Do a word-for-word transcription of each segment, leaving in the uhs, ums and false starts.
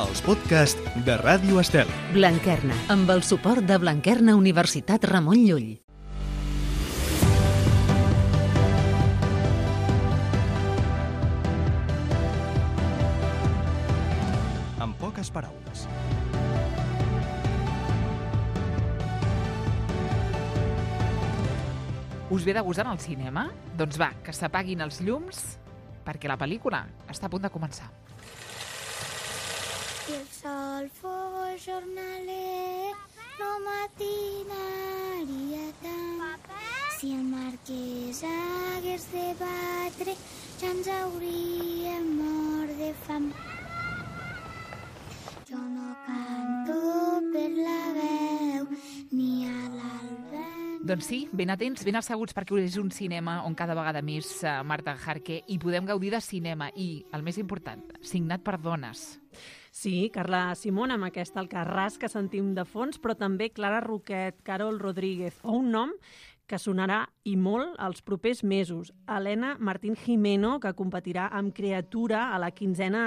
els podcasts de Ràdio Estel. Blanquerna, amb el suport de Blanquerna Universitat Ramon Llull. En poques paraules. Us ve de gust anar al cinema? Doncs va, que s'apaguin els llums, perquè la pel·lícula està a punt de començar. Si el sol fos jornaler, no matinaria tant. Si el marquès hagués de batre, ja ens hauríem mort de fam. Jo no canto per la veu, ni a l'alba. Doncs sí, ben atents, ben asseguts, perquè és un cinema on cada vegada més uh, Marta Jarque i podem gaudir de cinema i, el més important, signat per dones. Sí, Carla Simón, amb aquest Alcarràs que sentim de fons, però també Clara Roquet, Carol Rodríguez, o un nom que sonarà i molt els propers mesos. Helena Martín Jimeno, que competirà amb Criatura a la quinzena,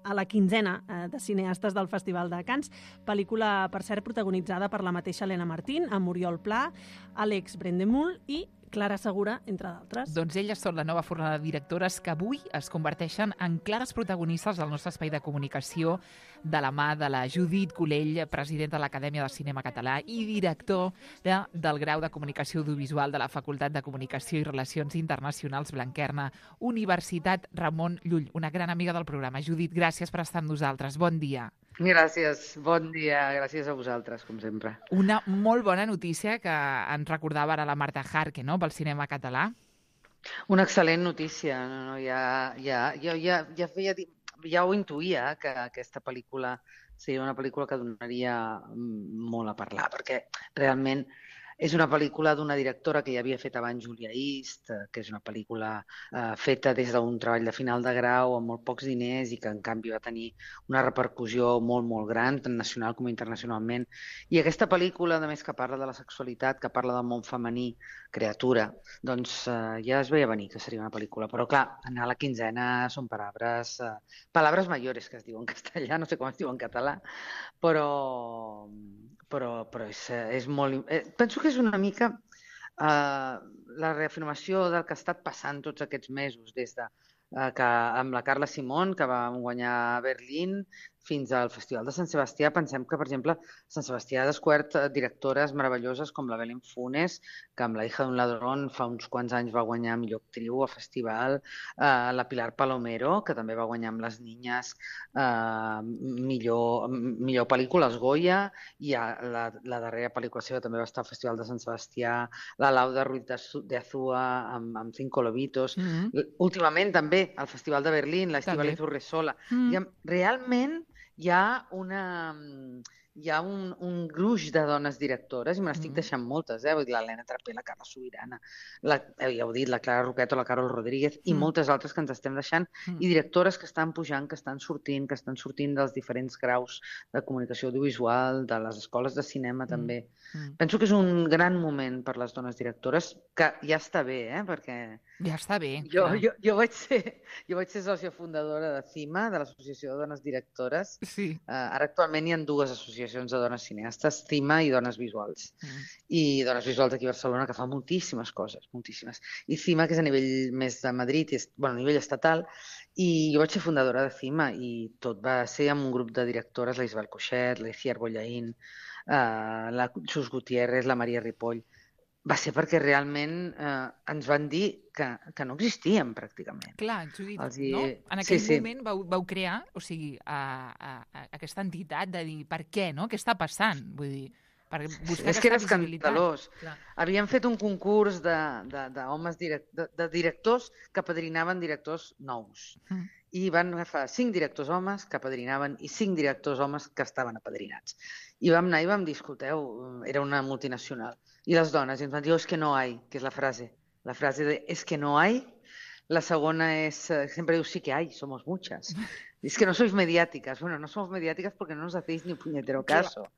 a la quinzena de cineastes del Festival de Cannes. Pel·lícula, per cert, protagonitzada per la mateixa Helena Martín, amb Oriol Pla, Àlex Brendemul i Clara Segura, entre d'altres. Doncs elles són la nova fornada de directores que avui es converteixen en clares protagonistes del nostre espai de comunicació de la mà de la Judit Colell, presidenta de l'Acadèmia de Cinema Català i director de, del grau de Comunicació Audiovisual de la Facultat de Comunicació i Relacions Internacionals Blanquerna, Universitat Ramon Llull, una gran amiga del programa. Judit, gràcies per estar amb nosaltres. Bon dia. Gràcies, bon dia, gràcies a vosaltres, com sempre. Una molt bona notícia que ens recordava ara la Marta Jarque, no?, pel cinema català. Una excel·lent notícia, no, no, ja, ja, ja, ja, ja, feia, ja ho intuïa, que aquesta pel·lícula seria una pel·lícula que donaria molt a parlar, perquè realment és una pel·lícula d'una directora que ja havia fet abans Julia East, que és una pel·lícula eh, feta des d'un treball de final de grau amb molt pocs diners i que en canvi va tenir una repercussió molt, molt gran, tant nacional com internacionalment. I aquesta pel·lícula, a més que parla de la sexualitat, que parla del món femení, Criatura, doncs eh, ja es veia venir que seria una pel·lícula. Però clar, anar a la quinzena són paraules, eh, paraules mayores, que es diu en castellà, no sé com es diu en català, però... però, però és, és molt... Eh, penso que és una mica eh, la reafirmació del que ha estat passant tots aquests mesos, des de eh, que amb la Carla Simón, que va guanyar a Berlín, fins al Festival de Sant Sebastià. Pensem que, per exemple, Sant Sebastià ha descobert directores meravelloses com la Belén Funes, que amb La hija d'un ladrón fa uns quants anys va guanyar millor actriu a festival, eh, la Pilar Palomero, que també va guanyar amb Les niñas eh, millor, millor pel·lícula, els Goya, i la, la darrera pel·lícula seva també va estar al Festival de Sant Sebastià, la Lauda Ruiz de Azúa amb, amb Cinco lobitos. Mm-hmm. Últimament també al Festival de Berlín, la Estíbaliz Urresola. Mm-hmm. Realment hi ha una... hi ha un, un gruix de dones directores, i me n'estic deixant moltes, eh? Vull dir, l'Helena Trapé, la Carla Sobirana, la, ja heu dit, la Clara Roquet o la Carol Rodríguez, i mm. moltes altres que ens estem deixant, mm. i directores que estan pujant, que estan sortint, que estan sortint dels diferents graus de comunicació audiovisual, de les escoles de cinema mm. també. Mm. Penso que és un gran moment per les dones directores, que ja està bé, eh? Perquè... Ja està bé. Jo, jo, jo, vaig ser, jo vaig ser sòcia fundadora de CIMA, de l'Associació de Dones Directores. Sí. Uh, ara actualment hi ha dues associacions de dones cineastes, CIMA i Dones Visuals. Mm. I Dones Visuals aquí a Barcelona, que fa moltíssimes coses, moltíssimes. I CIMA, que és a nivell més de Madrid, és, bueno, a nivell estatal, i jo vaig ser fundadora de CIMA, i tot va ser amb un grup de directores, la Isabel Coixet, la Iciar Bollaín, uh, la Xus Gutiérrez, la Maria Ripoll. Va ser perquè realment eh, ens van dir que, que no existíem, pràcticament. Clar, Judit, hi... no? En aquell sí, moment sí. Vau, vau crear, o sigui, a, a, a aquesta entitat de dir per què, no? Què està passant? Vull dir, per buscar és aquesta que era visibilitat. escandalós. Clar. Havíem fet un concurs de, de, de, homes direct, de, de directors que padrinaven directors nous. Mm. I van agafar cinc directors homes que padrinaven i cinc directors homes que estaven apadrinats. I vam anar i vam dir, escolteu, era una multinacional. I les dones, i ens van dir, oh, és que no hay, que és la frase. La frase de, és que no hay. La segona és, sempre diu, sí que hay, somos muchas. Es que no sois mediáticas. Bueno, no somos mediáticas porque no nos hacéis ni puñetero caso.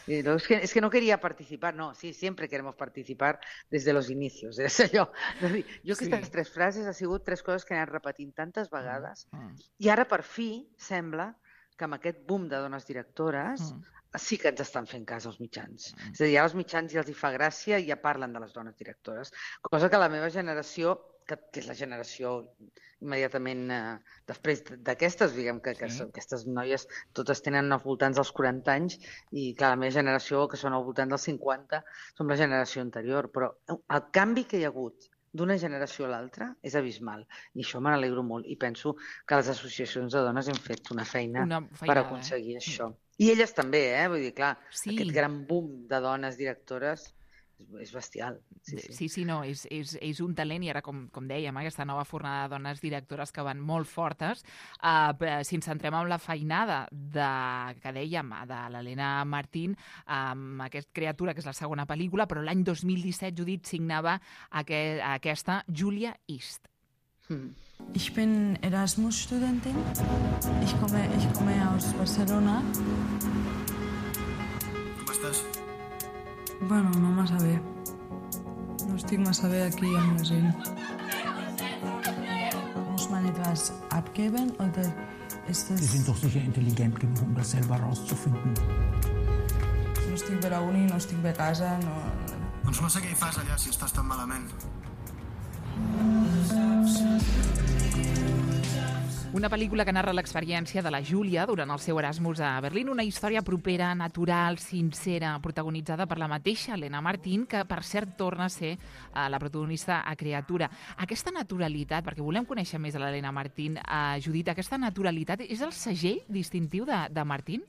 Y no, es, que, es que no quería participar. No, sí, siempre queremos participar desde los inicios. És allò. Jo aquestes sí. tres frases ha sigut tres coses que he anat repetint tantes vegades. Mm. I ara, per fi, sembla que amb aquest boom de dones directores mm. sí que ens estan fent cas als mitjans. Mm. És a dir, ara als mitjans ja els hi fa gràcia i ja parlen de les dones directores. Cosa que la meva generació, que, que és la generació immediatament eh, després d'aquestes, diguem que, que sí. Aquestes noies totes tenen als voltants dels quaranta anys i clar, la meva generació, que són al voltant dels cinquanta, som la generació anterior, però el canvi que hi ha hagut d'una generació a l'altra és abismal. I això me n'alegro molt. I penso que les associacions de dones hem fet una feina una per aconseguir eh? això. I elles també, eh? Vull dir, clar, sí. Aquest gran boom de dones directores és bestial. Sí, sí, sí, sí no, és, és, és un talent i ara, com, com dèiem, aquesta nova fornada de dones directores que van molt fortes. Uh, si ens centrem en la feinada de, que dèiem, de l'Helena Martín, amb aquesta criatura, que és la segona pel·lícula, però l'any dos mil disset, Judit, signava aquest, aquesta Julia East. Hmm. Ich bin Erasmus-Studentin. Ich komme, ich komme aus Barcelona. Com estàs? Bueno, no massa bé. No estic massa bé aquí amb la gent. Muss man etwas abgeben oder ist das... Sie sind doch sicher intelligent genug, um das selber rauszufinden. No estic bé a la uni, no estic bé a casa, no... Doncs no sé què hi fas allà si estàs tan malament. Una pel·lícula que narra l'experiència de la Júlia durant el seu Erasmus a Berlín, una història propera, natural, sincera, protagonitzada per la mateixa Helena Martín, que per cert torna a ser uh, la protagonista a Criatura. Aquesta naturalitat, perquè volem conèixer més de l'Helena Martín, uh, Judit, aquesta naturalitat és el segell distintiu de, de Martín?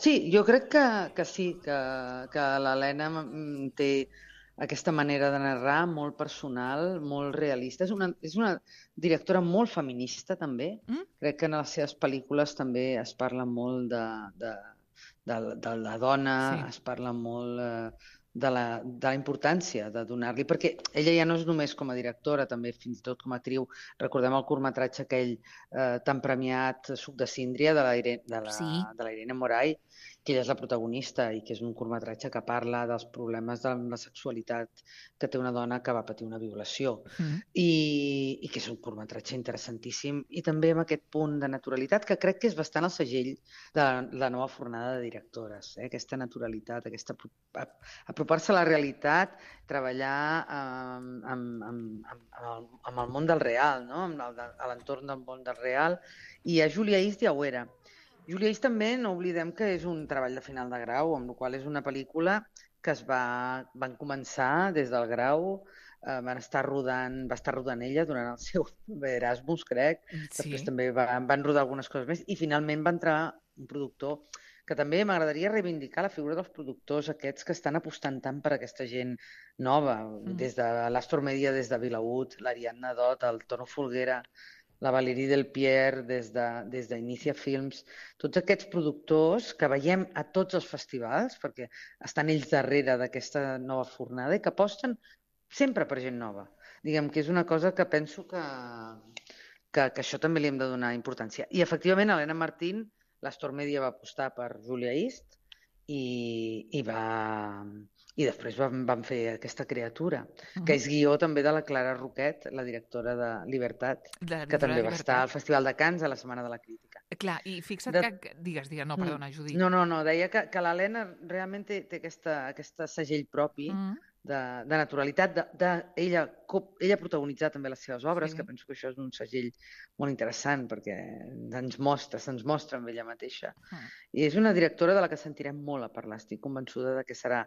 Sí, jo crec que, que sí, que, que l'Helena té aquesta manera de narrar molt personal, molt realista. És una, és una directora molt feminista, també. Mm? Crec que en les seves pel·lícules també es parla molt de, de, de, de la dona, sí. Es parla molt eh, de, la, de la importància de donar-li, perquè ella ja no és només com a directora, també fins i tot com a actriu. Recordem el curtmetratge aquell eh, tan premiat, Suc de síndria, de la, Irene, de la, sí. de la Irene Moray, que ella és la protagonista i que és un curtmetratge que parla dels problemes de la sexualitat que té una dona que va patir una violació. Mm. I, i que és un curtmetratge interessantíssim i també amb aquest punt de naturalitat que crec que és bastant el segell de la, la nova fornada de directores. Eh? Aquesta naturalitat, aquesta apropar-se a la realitat, treballar amb, amb, amb, amb, el, amb el món del real, no? Amb el, a l'entorn del món del real. I a Julia East ja ho era. Julia East també, no oblidem que és un treball de final de grau, amb la qual és una pel·lícula que es va, van començar des del grau, eh, van estar rodant, va estar rodant ella durant el seu Erasmus, crec, sí. Després també van, van rodar algunes coses més, i finalment va entrar un productor que també m'agradaria reivindicar la figura dels productors aquests que estan apostant tant per aquesta gent nova, mm. des de l'Astor Media, des de Vilaüt, l'Ariadna Dot, el Tono Folguera, la Valérie Delpierre, des de, des d'Inicia Films, tots aquests productors que veiem a tots els festivals, perquè estan ells darrere d'aquesta nova fornada i que aposten sempre per gent nova. Diguem que és una cosa que penso que, que, que això també li hem de donar importància. I efectivament, Helena Martín, l'Astor Media va apostar per Julia East i, i va... I després van, van fer aquesta criatura, uh-huh. que és guió també de la Clara Roquet, la directora de Libertat, de, que també va estar al Festival de Cannes a la Setmana de la Crítica. Clar, i fixa't de... que... Digues, digues, no, perdona, Judit. No, no, no, deia que, que l'Helena realment té, té aquesta, aquesta segell propi uh-huh. de, de naturalitat, de, de ella, ella protagonitzar també les seves obres, sí. Que penso que això és un segell molt interessant, perquè ens mostra, se'ns mostra amb ella mateixa. Uh-huh. I és una directora de la que sentirem molt a parlar, estic convençuda de que serà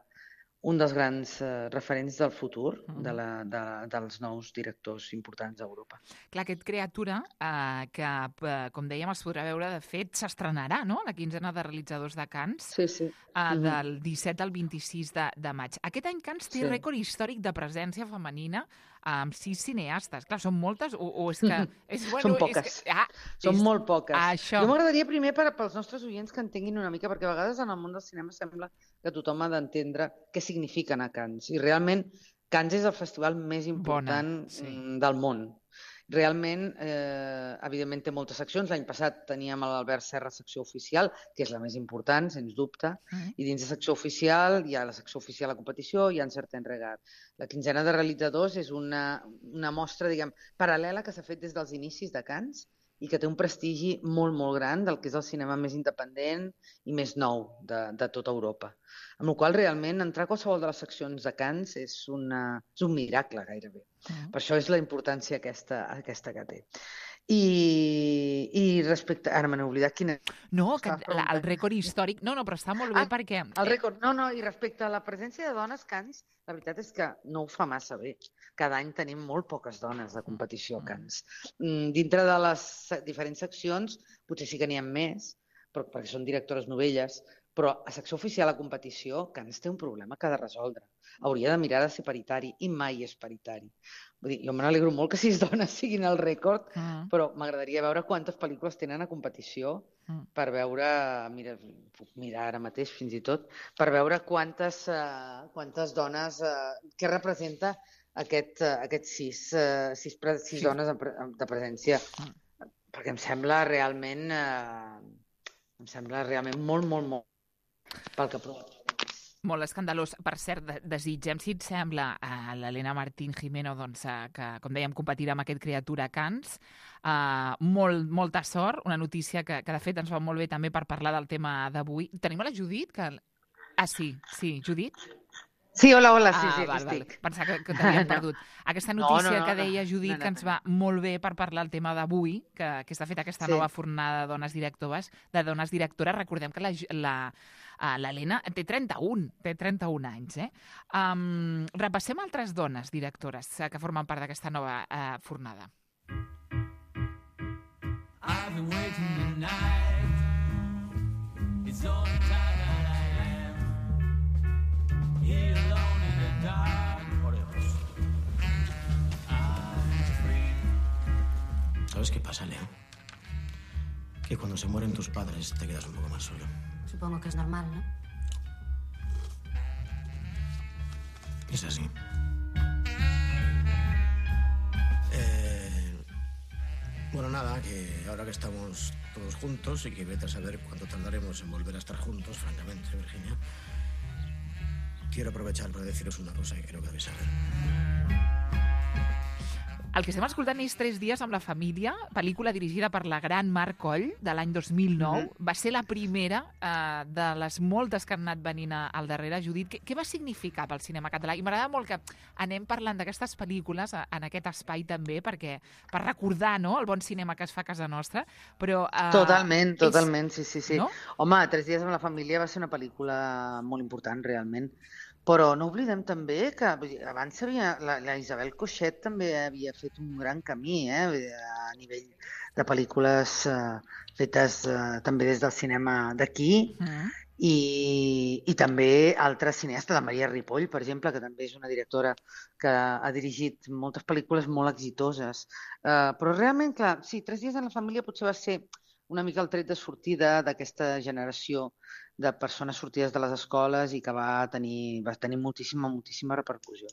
un dels grans eh, referents del futur mm. de la, de, dels nous directors importants d'Europa. Clar, aquest Criatura, eh, que, eh, com dèiem, es podrà veure, de fet, s'estrenarà, no?, la quinzena de realitzadors de Cannes, sí, sí. Eh, mm-hmm. del disset al vint-i-sis de, de maig. Aquest any Cannes té sí. rècord històric de presència femenina amb sis cineastes. Clar, són moltes o, o és que... És, bueno, són poques. És que, ah, són és, molt poques. Això. Jo m'agradaria primer per, pels nostres oients que entenguin una mica, perquè a vegades en el món del cinema sembla que tothom ha d'entendre què significa anar a Cannes. I realment Cannes és el festival més important Bona, sí. del món. Realment, eh, evidentment, té moltes seccions. L'any passat teníem l'Albert Serra secció oficial, que és la més important, sens dubte, uh-huh. i dins de secció oficial hi ha la secció oficial a competició, hi ha un certain regat. La quinzena de realitzadors és una, una mostra, diguem, paral·lela que s'ha fet des dels inicis de Cannes i que té un prestigi molt, molt gran del que és el cinema més independent i més nou de, de tota Europa. Amb la qual cosa, realment, entrar a qualsevol de les seccions de Cannes és, una, és un miracle, gairebé. Mm. Per això és la importància aquesta, aquesta que té. I, i respecte... Ara me n'he oblidat quina... No, que la, el rècord històric... No, no, però està molt bé ah, perquè... El rècord... No, no, i respecte a la presència de dones Cannes, la veritat és que no ho fa massa bé. Cada any tenim molt poques dones de competició a Cannes. Dintre de les diferents seccions, potser sí que n'hi ha més, però, perquè són directores novelles, però a secció oficial a competició, Cannes té un problema que ha de resoldre. Hauria de mirar de ser paritari, i mai és paritari. Vull dir, jo me n'alegro molt que sis dones siguin el rècord, mm. però m'agradaria veure quantes pel·lícules tenen a competició mm. per veure, mira, puc mirar ara mateix fins i tot, per veure quantes, uh, quantes dones, uh, què representa aquest, uh, aquest sis, uh, sis, pre sis sí. dones de, pre de presència. Mm. Perquè em sembla realment, uh, em sembla realment molt, molt, molt pel que prova. Molt escandalós. Per cert, desitgem, si et sembla, a l'Helena Martín Gimeno, doncs, que, com dèiem, competirà amb aquest Criatura Cannes. Uh, molt, molta sort, una notícia que, que, de fet, ens va molt bé també per parlar del tema d'avui. Tenim a la Judit? Que... Ah, sí, sí. Judit? Sí, hola, hola, sí, ah, sí, val, aquí estic. Val. Pensava que, que t'havíem perdut. Aquesta notícia no, no, no, que deia Judit, no, no, no. que ens va molt bé per parlar el tema d'avui, que, que està feta aquesta sí. nova fornada de dones directores, de dones directores. Recordem que la... la l'Helena té trenta-un, té trenta-un anys. Eh? Um, repassem altres dones directores que formen part d'aquesta nova uh, fornada. I've been waiting the night. It's all the time that I am. Here alone in the dark. I'm free. ¿Sabes qué pasa, Leo? Que cuando se mueren tus padres te quedas un poco más solo. Supongo que es normal, ¿no? Es así. Eh, bueno, nada, que ahora que estamos todos juntos y que vete a saber cuánto tardaremos en volver a estar juntos, francamente, Virginia, quiero aprovechar para deciros una cosa que creo que debéis saber. El que estem escoltant és Tres dies amb la família, pel·lícula dirigida per la gran Mar Coll, de l'any dos mil nou. Mm-hmm. Va ser la primera eh, de les moltes que han anat venint al darrere. Judit, què, què va significar pel cinema català? I m'agrada molt que anem parlant d'aquestes pel·lícules en aquest espai també, perquè per recordar, no?, el bon cinema que es fa a casa nostra. Però, eh, totalment, totalment, és... sí, sí, sí. No? Home, Tres dies amb la família va ser una pel·lícula molt important, realment. Però no oblidem també que abans havia, la, la Isabel Coixet també havia fet un gran camí eh, a nivell de pel·lícules eh, fetes eh, també des del cinema d'aquí mm. i, i també altres cineastes, la Maria Ripoll, per exemple, que també és una directora que ha dirigit moltes pel·lícules molt exitoses. Eh, però realment, clar, sí, Tres dies en la família potser va ser una mica el tret de sortida d'aquesta generació de persones sortides de les escoles i que va tenir, va tenir moltíssima, moltíssima repercussió.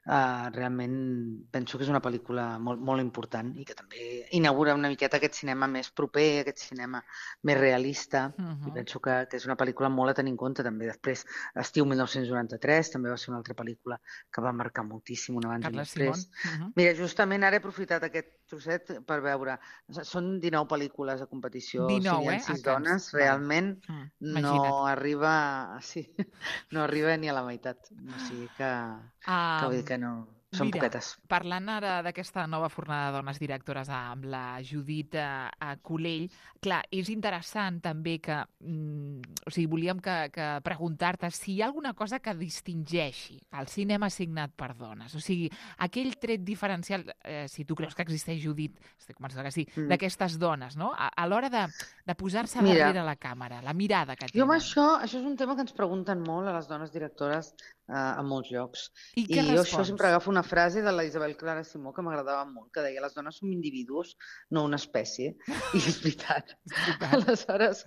Uh, realment penso que és una pel·lícula molt, molt important i que també inaugura una miqueta aquest cinema més proper, aquest cinema més realista. Uh-huh. I penso que, que és una pel·lícula molt a tenir en compte també. Després, Estiu mil nou-cents noranta-tres també va ser una altra pel·lícula que va marcar moltíssim un abans i un després. Uh-huh. Mira, justament ara he aprofitat aquest trosset per veure. Són dinou pel·lícules a competició. dinou, o sigui, eh? sis dones, realment uh, no arriba, sí, no arriba ni a la meitat. O sigui que, um, que vull dir que no, són mira, poquetes. Parlant ara d'aquesta nova fornada de dones directores amb la Judit a, a Culell, clar, és interessant també que, mm, o sigui, volíem que, que preguntar-te si hi ha alguna cosa que distingeixi el cinema signat per dones. O sigui, aquell tret diferencial, eh, si tu creus que existeix, Judit, estic convençuda que sí, mm. d'aquestes dones, no? A, a l'hora de, de posar-se darrere la càmera, la mirada que tenen. Jo amb això, això és un tema que ens pregunten molt a les dones directores Uh, a molts llocs. I, I jo això sempre agafo una frase de la Isabel Clara Simó que m'agradava molt, que deia les dones som individus, no una espècie. I és veritat. Aleshores,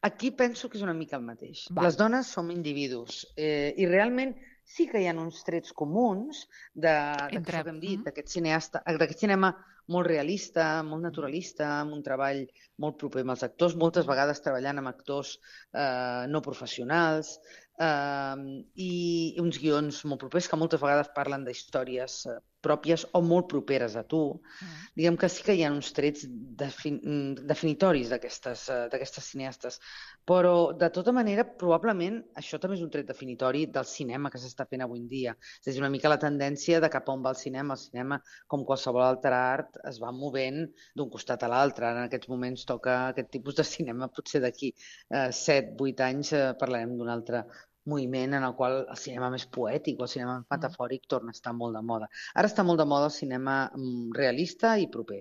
aquí penso que és una mica el mateix. Va. Les dones som individus eh, i realment sí que hi ha uns trets comuns de, Entre... que hem dit, mm. d'aquest cineasta, d'aquest cinema molt realista, molt naturalista, amb un treball molt proper amb els actors, moltes vegades treballant amb actors eh, no professionals, Uh, i uns guions molt propers que moltes vegades parlen d'històries uh, pròpies o molt properes a tu. Mm. Diguem que sí que hi ha uns trets defin definitoris d'aquestes uh, d'aquestes cineastes, però de tota manera probablement això també és un tret definitori del cinema que s'està fent avui en dia. És a dir, una mica la tendència de cap on va el cinema. El cinema, com qualsevol altre art, es va movent d'un costat a l'altre. En aquests moments toca aquest tipus de cinema, potser d'aquí uh, set, vuit anys uh, parlarem d'un altre moviment en el qual el cinema més poètic o el cinema metafòric torna a estar molt de moda. Ara està molt de moda el cinema realista i proper.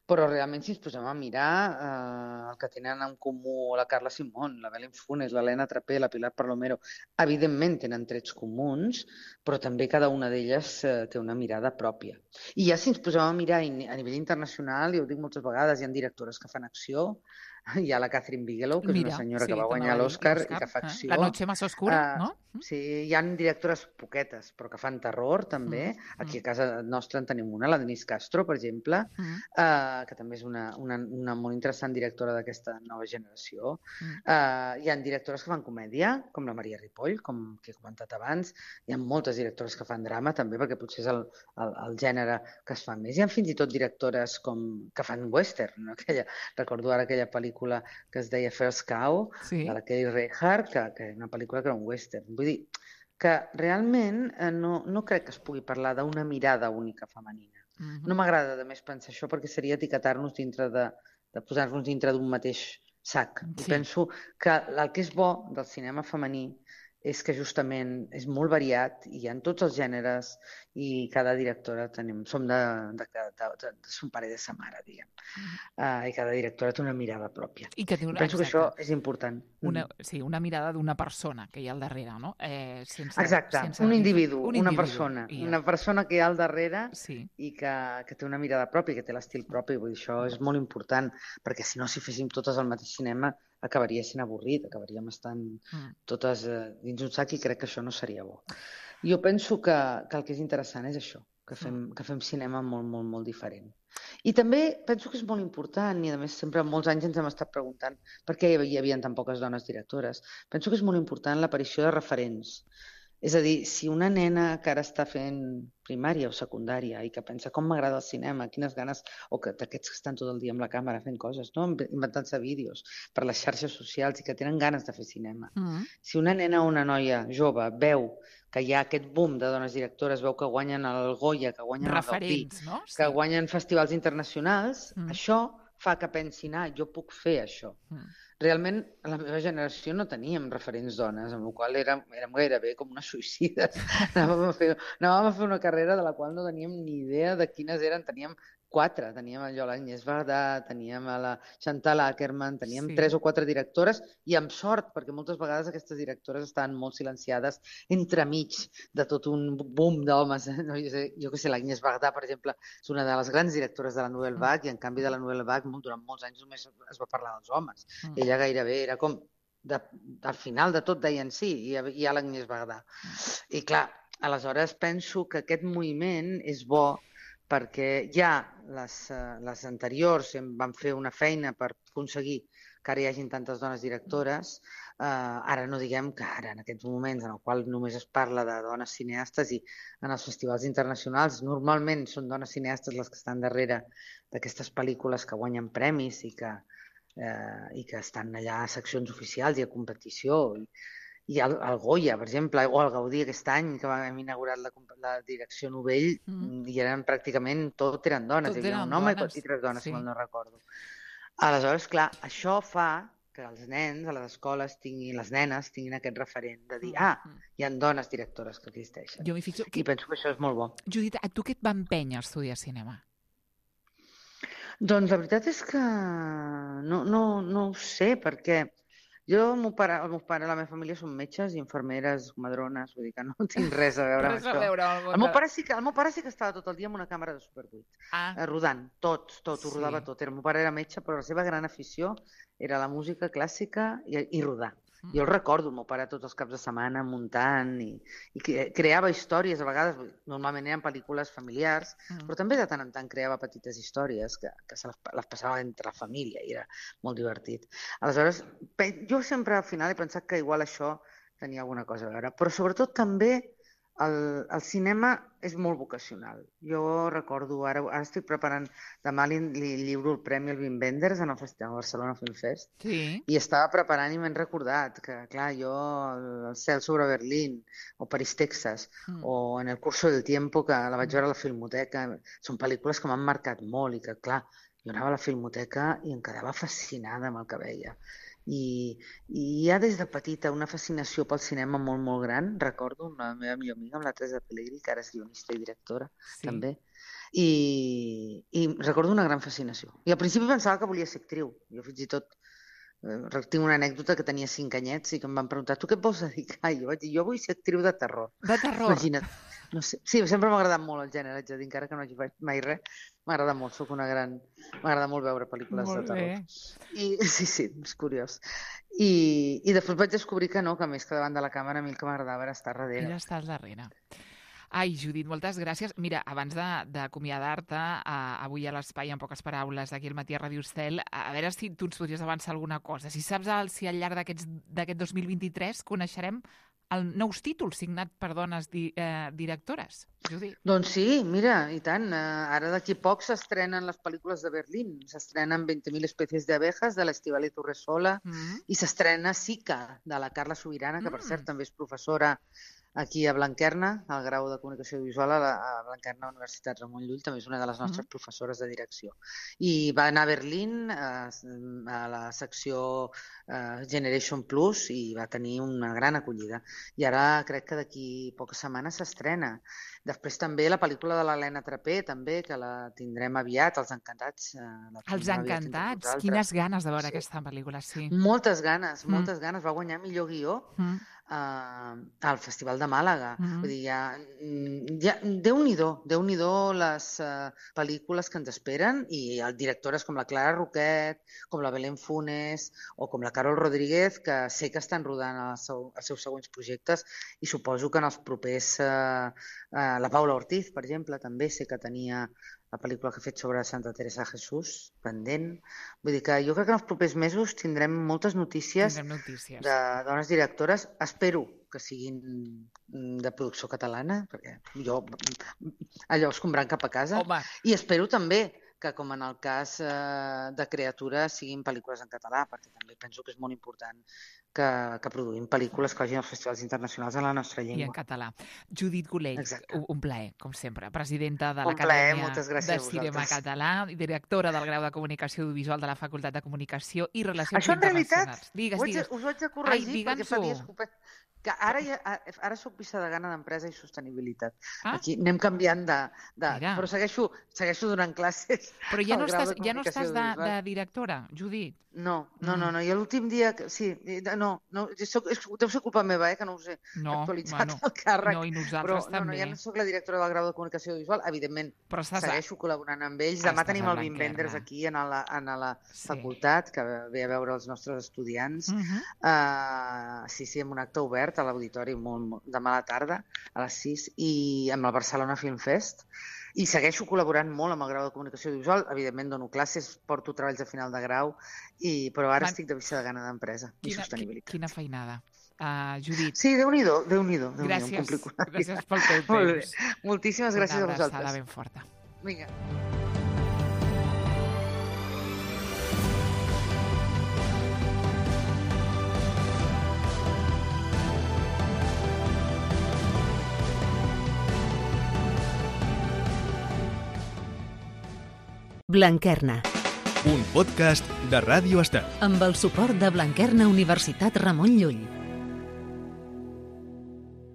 Però realment, si ens posem a mirar eh, el que tenen en comú la Carla Simón, la Belén Funes, l'Helena Trapé, la Pilar Palomero, evidentment tenen trets comuns, però també cada una d'elles eh, té una mirada pròpia. I ja si ens posem a mirar a nivell internacional, i ho dic moltes vegades, hi ha directores que fan acció. Hi ha la Catherine Bigelow, que Mira, és una senyora sí, que va guanyar l'Oscar i que fa eh? acció. La noche más oscura, uh, no? Sí, hi ha directores poquetes, però que fan terror, també. Mm, mm. Aquí a casa nostra en tenim una, la Denise Castro, per exemple, mm. uh, que també és una, una, una molt interessant directora d'aquesta nova generació. Mm. Uh, hi ha directores que fan comèdia, com la Maria Ripoll, com que he comentat abans. Hi ha moltes directores que fan drama, també, perquè potser és el, el, el gènere que es fa més. Hi ha fins i tot directores com, que fan western, no? Aquella, recordo ara aquella pel·lícula que es deia First Cow, sí. de la Kelly Reichardt, que, que és una pel·lícula que era un western. Vull dir que realment eh, no, no crec que es pugui parlar d'una mirada única femenina. Uh-huh. No m'agrada de més pensar això perquè seria etiquetar-nos dintre de, de posar-nos dintre d'un mateix sac. Sí. I penso que el que és bo del cinema femení és que justament és molt variat i hi ha tots els gèneres i cada directora tenim, som de, de, de, de, de son pare de sa mare, diguem. Uh, I cada directora té una mirada pròpia. I que té una, penso exacte. que això és important. Una, sí, una mirada d'una persona que hi ha al darrere, no? Eh, sense, exacte, sense un individu, un una individu, persona. ja. Una persona que hi ha al darrere sí. i que, que té una mirada pròpia, que té l'estil propi. Vull dir, això és molt important, perquè si no, si féssim totes el mateix cinema, acabaria sent avorrit, acabaríem estant mm. totes eh, dins un sac i crec que això no seria bo. Jo penso que, que el que és interessant és això, que fem, mm. que fem cinema molt, molt, molt diferent. I també penso que és molt important, i a més sempre molts anys ens hem estat preguntant per què hi havia tan poques dones directores. Penso que és molt important l'aparició de referents. És a dir, si una nena que ara està fent primària o secundària i que pensa com m'agrada el cinema, quines ganes, o que d'aquests que estan tot el dia amb la càmera fent coses, no? Inventant-se vídeos per les xarxes socials i que tenen ganes de fer cinema. Mm-hmm. Si una nena o una noia jove veu que hi ha aquest boom de dones directores, veu que guanyen el Goya, que guanyen referents, el Gaudí, no? Sí. que guanyen festivals internacionals, mm. això fa que pensin, ah, jo puc fer això. Mm. Realment, a la meva generació no teníem referents dones, amb la qual cosa érem, érem gairebé com unes suïcides. Anàvem a, fer, anàvem a fer una carrera de la qual no teníem ni idea de quines eren. Teníem quatre. Teníem allò l'Agnès Varda, teníem a la Chantal Akerman, teníem sí. tres o quatre directores, i amb sort, perquè moltes vegades aquestes directores estaven molt silenciades entremig de tot un boom d'homes. Eh? No, jo, sé, jo que sé, l'Agnès Varda, per exemple, és una de les grans directores de la Nouvelle Vague, i en canvi de la Nouvelle Vague durant molts anys només es va parlar dels homes. Mm. Ella gairebé era com, de, al final de tot deien sí, hi ha, hi ha l'Agnès Varda. I clar, aleshores penso que aquest moviment és bo perquè ja les, les anteriors van fer una feina per aconseguir que ara hi hagin tantes dones directores. Eh, ara no diguem que ara, en aquests moments en el qual només es parla de dones cineastes, i en els festivals internacionals normalment són dones cineastes les que estan darrere d'aquestes pel·lícules que guanyen premis i que, eh, i que estan allà a seccions oficials i a competició. I, i el, el Goya, per exemple, o el Gaudí aquest any, que vam inaugurar la, la direcció Novell, mm. i eren pràcticament, tot eren dones. Tot hi havia un home dones. I tres dones, sí. si no recordo. Aleshores, clar, això fa que els nens a les escoles tinguin, les nenes tinguin aquest referent de dir, ah, hi ha dones directores que existeixen. Jo m'hi fixo que... I penso que això és molt bo. Judit, a tu què et va empènyer a estudiar cinema? Doncs la veritat és que no, no, no ho sé, perquè jo, el meu pare, el meu pare, la meva família són metges i infermeres, madrones, vull dir que no tinc res a veure amb res això. A veure amb el, meu pare sí que, el meu pare sí que estava tot el dia amb una càmera de Super vuit, ah. eh, rodant, tot, tot, ho sí. rodava tot. El meu pare era metge, però la seva gran afició era la música clàssica i, i rodar. Mm. Jo el recordo, el meu pare tots els caps de setmana muntant i, i creava històries, a vegades, normalment eren pel·lícules familiars, mm. però també de tant en tant creava petites històries que, que se les, les passava entre la família i era molt divertit. Aleshores, jo sempre al final he pensat que igual això tenia alguna cosa a veure. Però sobretot també el, el cinema és molt vocacional. Jo recordo, ara, ara estic preparant, demà li, li lliuro el premi al Wim Wenders en el Festival Barcelona Film Fest, Sí. i estava preparant i m'he recordat que, clar, jo el, el Cel sobre Berlín, o París, Texas, Mm. o En el curso del tiempo, que la vaig veure a la Filmoteca, són pel·lícules que m'han marcat molt i que, clar, jo anava a la Filmoteca i em quedava fascinada amb el que veia. I, i hi ha des de petita una fascinació pel cinema molt, molt gran. Recordo la meva millor amiga, amb la Teresa Pellegrí, que ara és guionista i directora, Sí. també. I, I recordo una gran fascinació. I al principi pensava que volia ser actriu. Jo fins i tot eh, tinc una anècdota que tenia cinc anyets i que em van preguntar tu què et vols dedicar? I jo vaig dir, jo vull ser actriu de terror. De terror. Imagina't. No sé. Sí, sempre m'ha agradat molt el gènere, haig de dir, encara que no hagi fet mai res. M'agrada molt, sóc una gran... M'agrada molt veure pel·lícules Molt de terror. bé. I, sí, sí, és curiós. I, I després vaig descobrir que no, que més que davant de la càmera a mi el que m'agradava era estar darrere. Ella està al darrere. Ai, Judit, moltes gràcies. Mira, abans de- d'acomiadar-te, uh, avui a l'Espai, en poques paraules, aquí al matí a Ràdio Estel, a veure si tu ens podries avançar alguna cosa. Si saps el, si al llarg d'aquests- d'aquest dos mil vint-i-tres coneixerem el nous títols signat per dones di, eh, directores, Judit. Doncs sí, mira, i tant. Eh, ara d'aquí poc s'estrenen les pel·lícules de Berlín. S'estrenen veinte mil especies de abejas, de l'Estivali Torresola, Mm. i s'estrena Sica, de la Carla Sobirana, que per Mm. cert també és professora aquí a Blanquerna, al grau de Comunicació Audiovisual a, la, a Blanquerna Universitat Ramon Llull, també és una de les nostres Mm. professores de direcció. I va anar a Berlín a, a la secció eh, Generation Plus i va tenir una gran acollida. I ara crec que d'aquí poques setmanes s'estrena. Després també la pel·lícula de l'Helena Trapé, també, que la tindrem aviat, Els Encantats. Eh, la Els tindrem aviat entre Encantats. vosaltres. Quines ganes de veure Sí. aquesta pel·lícula, sí. Moltes ganes, Mm. moltes ganes. Va guanyar millor guió Mm. eh, al Festival de Màlaga. Mhm. Vull dir, ja, mm, ja, Déu-n'hi-do, Déu-n'hi-do les eh, pel·lícules que ens esperen, i el directores com la Clara Roquet, com la Belén Funes o com la Carol Rodríguez, que sé que estan rodant els, seu, els seus següents projectes, i suposo que en els propers... Eh, eh, la Paula Ortiz, per exemple, també sé que tenia la pel·lícula que ha fet sobre Santa Teresa de Jesús, pendent. Vull dir que jo crec que en els propers mesos tindrem moltes notícies Tindrem notícies. de dones directores. Espero que siguin mm, de producció catalana, perquè jo allò escombrant cap a casa. Home, I espero també que, com en el cas eh, de Creatura, siguin pel·lícules en català, perquè també penso que és molt important que, que produïm pel·lícules que vagin als festivals internacionals en la nostra i en llengua. català. Judit Golell, Exacte. un, un plaer, com sempre. Presidenta de Un plaer, l'Acadèmia moltes gràcies de a Cinema vosaltres. Català i directora del grau de Comunicació Audiovisual de la Facultat de Comunicació i Relacions Això en realitat Internacionals. Digues, ho haig, de- digues. us ho haig de corregir, Ai, perquè fa digue'ns-ho. dies que ho pe- que ara, ja, ara soc vicedegana d'Empresa i Sostenibilitat. Ah. Aquí anem canviant de... de Mira. però segueixo, segueixo donant classes. Però ja al no grau estàs, de ja no Comunicació estàs de, Audiovisual. de directora, Judit? No, no, Mm. no, no. I l'últim dia... que- Sí, eh, no, no soc, és, deu ser culpa meva, eh, que no us he No, actualitzat bueno, el càrrec. no, i Però nosaltres no, no, també. ja no soc la directora del grau de Comunicació Audiovisual, evidentment. Però estàs a... Segueixo col·laborant amb ells. Demà Estàs tenim a el Wim Blanquerna. Wenders aquí en la, en la Sí. facultat, que ve a veure els nostres estudiants. Mhm. Uh, sí, sí, amb un acte obert a l'auditori molt, molt, demà a la tarda, a les sis, i amb el Barcelona Film Fest. I segueixo col·laborant molt amb el grau de Comunicació Audiovisual. Evidentment dono classes, porto treballs de final de grau, i, però ara Man- estic de vicedegana d'Empresa i Quina, qui- Sostenibilitat. quina feinada. Uh, Judit, Sí, Déu-n'hi-do, Déu-n'hi-do. Déu gràcies, un complicat. gràcies pel teu Molt bé. temps. Moltíssimes gràcies a Una abraçada vosaltres. ben forta. Vinga. Blanquerna, Un podcast de Ràdio Estel. amb el suport de Blanquerna Universitat Ramon Llull.